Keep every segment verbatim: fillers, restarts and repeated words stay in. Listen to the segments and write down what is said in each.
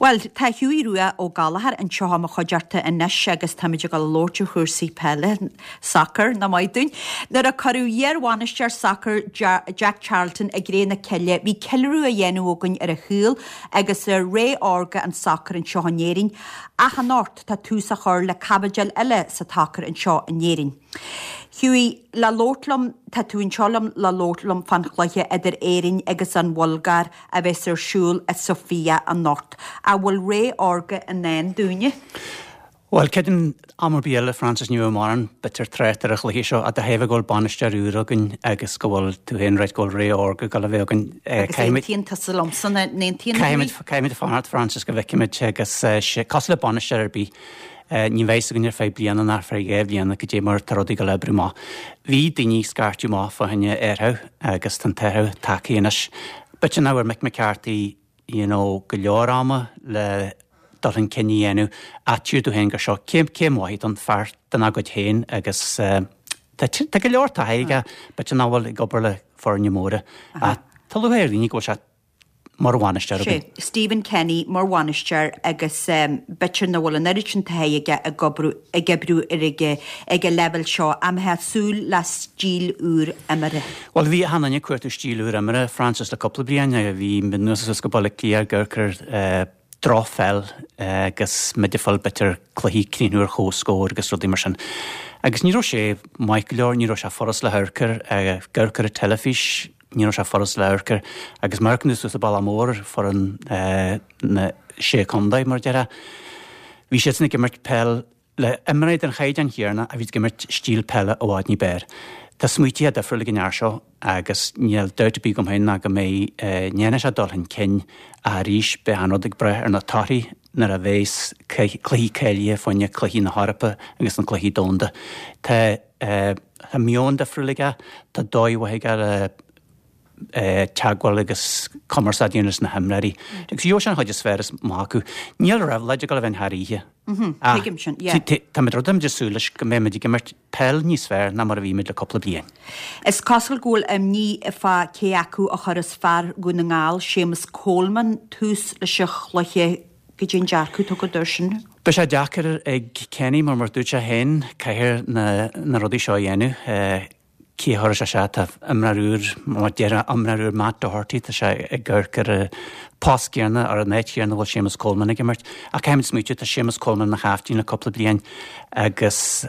Bhuel, tá Hughie Rua Ó Gallchóir anseo i mo chuideachta anois agus táimid ag dul a labhairt ar chúrsaí peile, sacair, nach maith dúinn. Nuair a cuireadh iarbhainisteoir sacair Jack Charlton i gcré na cille, bhí ceiliúradh á dhéanamh againn ar a shaol agus ar ré órga an tsacair anseo in Éirinn, ach anocht tá tús á chur le caibidil eile sa tsacar anseo in Éirinn. Hughie, le labhairt liom, tá tú anseo liom le labhairt liom fán chluiche idir Éirinn agus an Bhulgáir a bheas ar siúl i Sofia anocht. An bhfuil ré órga i ndán dúinne? Bhuel, creidim am ar bith eile, Francis, ní bheadh mórán b'fhéidir trácht ar an chluiche seo, ach de thaobh go bhfuil bainisteoir úr againn agus go bhfuil tú féin ráite go bhfuil ré órga ag dul a bheith againn. Agus aontaíonn tusa liomsa, an aontaíonn Caithfimid, caithfimid fanacht, Francis, go bhfeicfimid agus cosúil le bainisteoir ar bith, ní bheidh a fhios againn ar feadh bliana ná ar feadh dhá bhliana cad é mar tá rudaí ag dul a oibriú amach. Bhí daoine ag scairteadh amach fá choinne athrú agus tá an t-athrú tagtha anois. B'fhéidir nach bhfuair Mick McCarthy you know, go leor ama le dul chun cinn a dhéanamh ach tchíonn tú féin gur seo céim céim mhaith don fear dena gcuid féin agus tá tá go leor taithí aige b'fhéidir nach bhfuil ag obair le foirne móra ach tá lúcháir ar dhaoine go bhfuil sé mar bhainisteoir againn. Sé, Stephen Kenny mar bhainisteoir agus b'fhéidir nach bhfuil an oiread sin taithí aige ag oibriú ag oibriú ar ag ag an leibhéal seo. An mbeifeá ag súil le stíl úr imeartha? Bhuel bhí achan duine ag cuartú stíl úr imeartha, Francis, le cúpla bliain. Bhí muid anuas suas go Baile Átha Cliath ag amharc ar drochpheil agus muid ag fáil b'fhéidir cluichí críochnú ar comhscór agus rudaí mar sin. Agus ní raibh sé maith go leor, ní raibh sé furast le hamharc air, ag amharc ar an teilifís, ní raibh sé furast le hamharc air. Agus má amharcann tú suas an bealach mór ar foireann na Sé Chontae, mar a déarfá, bhí siadsan ag imirt peil le imreoirí den chaighdeán chéanna a bhí ag imirt stíl peile i bhfad ní b'fhearr. Tá smaoitithe difriúla ag an fhear seo agus níl dabht ar bith agam féin ná go mbeidh, ndéanfaidh sé dul chun cinn ach arís beidh an rud ag brath ar na torthaí nuair a bheas cluichí cáilithe fá choinne cluichí na hEorpa agus na cluichí domhanda. Tá tá meon difriúil aige, tá dóigh mhaith aige le teagmháil agus cumarsáid a dhéanamh leis na himreoirí. Agus gheobhaidh sé an chuid is fearr amach acu. Níl réabhlóid ag dul a bheith ann thar oíche. Tuigim sin, yeah. Táimid rud ag súil leis go mbeimid ag imirt peil níos fearr ná mar a bhí muid le cúpla bliain. Is cosúil go bhfuil imní fá cé acu a chuirfeas fear Dhún na nGall, Séamus Coleman, tús leis an chluiche. Cad é an dearcadh atá agat air sin? Beidh sé deacair ag Kenny mar mar dúirt sé féin, caithfear na na rudaí seo a dhéanamh. Cé a chuirfeas sé isteach? Tá imreoir úr, mar a déarfá, imreoir úr Matt Doherty, tá sé ag amharc ar an post céanna, ar an áit chéanna a bhfuil Séamus Coleman ag imirt. Ach caithfimid smaoitiú, tá Séamus Coleman ina chaiftín le cúpla bliain agus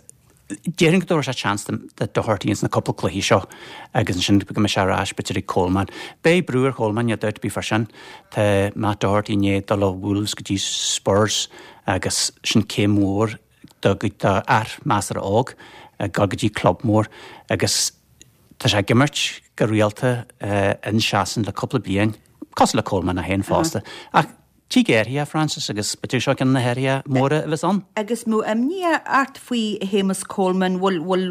déarfainn go dtabharfaidh sé seans do Doherty ins na cúpla cluichí seo agus ansin go mbeidh sé ar ais b'fhéidir ag Coleman. Beidh brú ar Choleman, níl dabht ar bith fá sin. Tá Matt Doherty i ndiaidh dul ó Wolves go dtí Spurs agus sin céim mhór do fhear measartha óg ag dul go dtí club mór agus tá sé ag imirt go rialta in Sasain le cúpla bliain, cosúil le Coleman é féin fosta. Ach tig athruithe, Francis, agus b'fhéidir seo ceann de na hathruithe móra a bheas ann. Agus an mbeadh imní ort faoi Shéamus Coleman, bhfuil bhfuil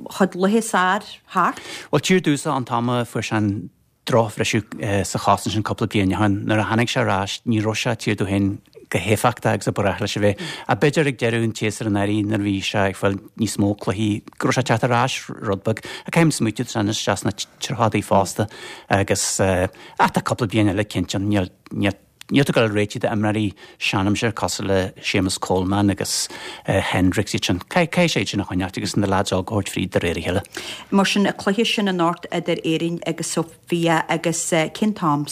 a chuid laetha is fearr thart? Bhuel, tchítear domhsa an t-am a fuair sé an drochbhriseadh sa chos ansin cúpla bliain ó shin. Nuair a tháinig sé ar ais, ní raibh sé, tchítear tú féin, chomh héifeachtach agus a ba ghnách leis a bheith. Ach b'fhéidir ag deireadh an tséasúir anuraidh nuair a bhí sé ag fáil níos mó cluichí go raibh sé ag teacht ar ais rud beag. Ach caithfimid smaoitiú, tá sé anois isteach sna tríochadaí fosta agus ach tá cúpla bliain eile cinnte ann. Níl, níl. Níl tú ag dul a réiteach d'imreoirí seanaimsire cosúil le Séamus Coleman agus Hendricks, iad sin. Caithfidh sé iad sin a choinneáilt agus na leaids óga a thabhairt fríd de réir a chéile. Mar sin, an cluiche sin anocht idir Éirinn agus Sofia agus cén t-am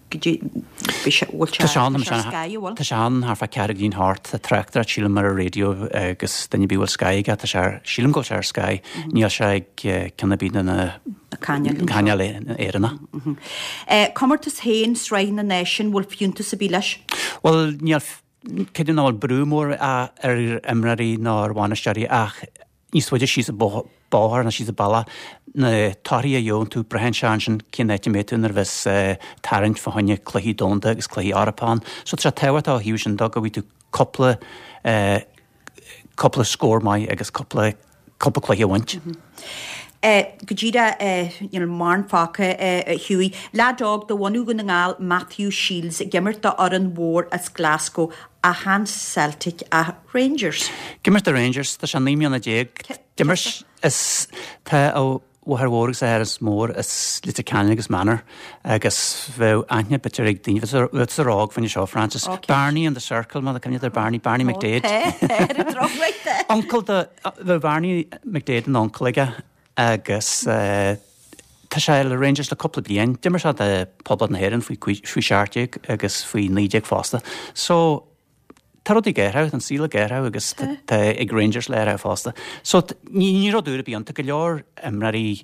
go dtí, bhí sé, bhfuil sé, Tá sé ann, tá sé ar Sky, an bhfuil? Tá sé ann thart fá ceathrú go dtí a hocht. Tá tráchtaireacht sílim ar an raidió agus duine ar bith a bhfuil Sky aige, tá sé ar, sílim go bhfuil sé ar Sky. Níl sé ag ceann ar bith de na cainéil Éireannacha. Comórtas féin, Sraith na Náisiún, bhfuil fiúntas ar bith leis? Bhuel, níl, creidim nach bhfuil brú mór ar imreoirí ná ar bhainisteoirí ach níos faide síos an bóthar nó síos an bealach, na torthaí a gheobhann tú, braitheann sé ansin cén áit a mbeidh tú nuair a bheas tarraingt fá choinne cluichí domhanda agus cluichí Eorpacha ann. So tá sé tábhachtach ó thaobh sin de go bhfaighidh tú cúpla, cúpla scór maith agus cúpla cúpla cluiche a bhaint. Go díreach, níl mórán fágtha, a Hughie. Leaid óg de bhunadh Dhún na nGall, Matthew Shields, ag imirt do fhoireann mhór as Glasgow, ach chan Celtic ach Rangers. Ag imirt do Rangers, tá sé naoi mbliana déag. D'imir, is, tá a mháthair mhór agus a athair mór as Leitir Ceanainn agus Manor agus bheadh aithne b'fhéidir ag daoine sa rág faoin seo Francis Okay. Barney in the Circle má cuimhin ar Barney Barney McDade. Uncle de bheadh Barney McDade an uncle aige agus uh, Tá sé le Rangers le cúpla bliain, D'imir sé do Phoblacht na hÉireann faoi faoi seacht déag agus faoi naoi déag fosta. So Tá rud géirthe an síle géirthe agus tá ag Rangers léirthe fosta. So ní ní rud úr bíonn go leor imreoirí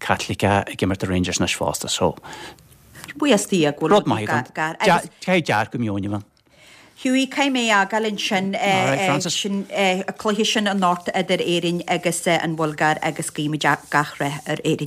Caitliceacha ag imirt Rangers anois fosta so Buíochas Dé go rud maith Cé dear go meoin. Hughie cai mé agal sin sin a cluiche sin anocht idir Éirinn agus an Bhulgáir agus guímid gach rath ar Éirinn.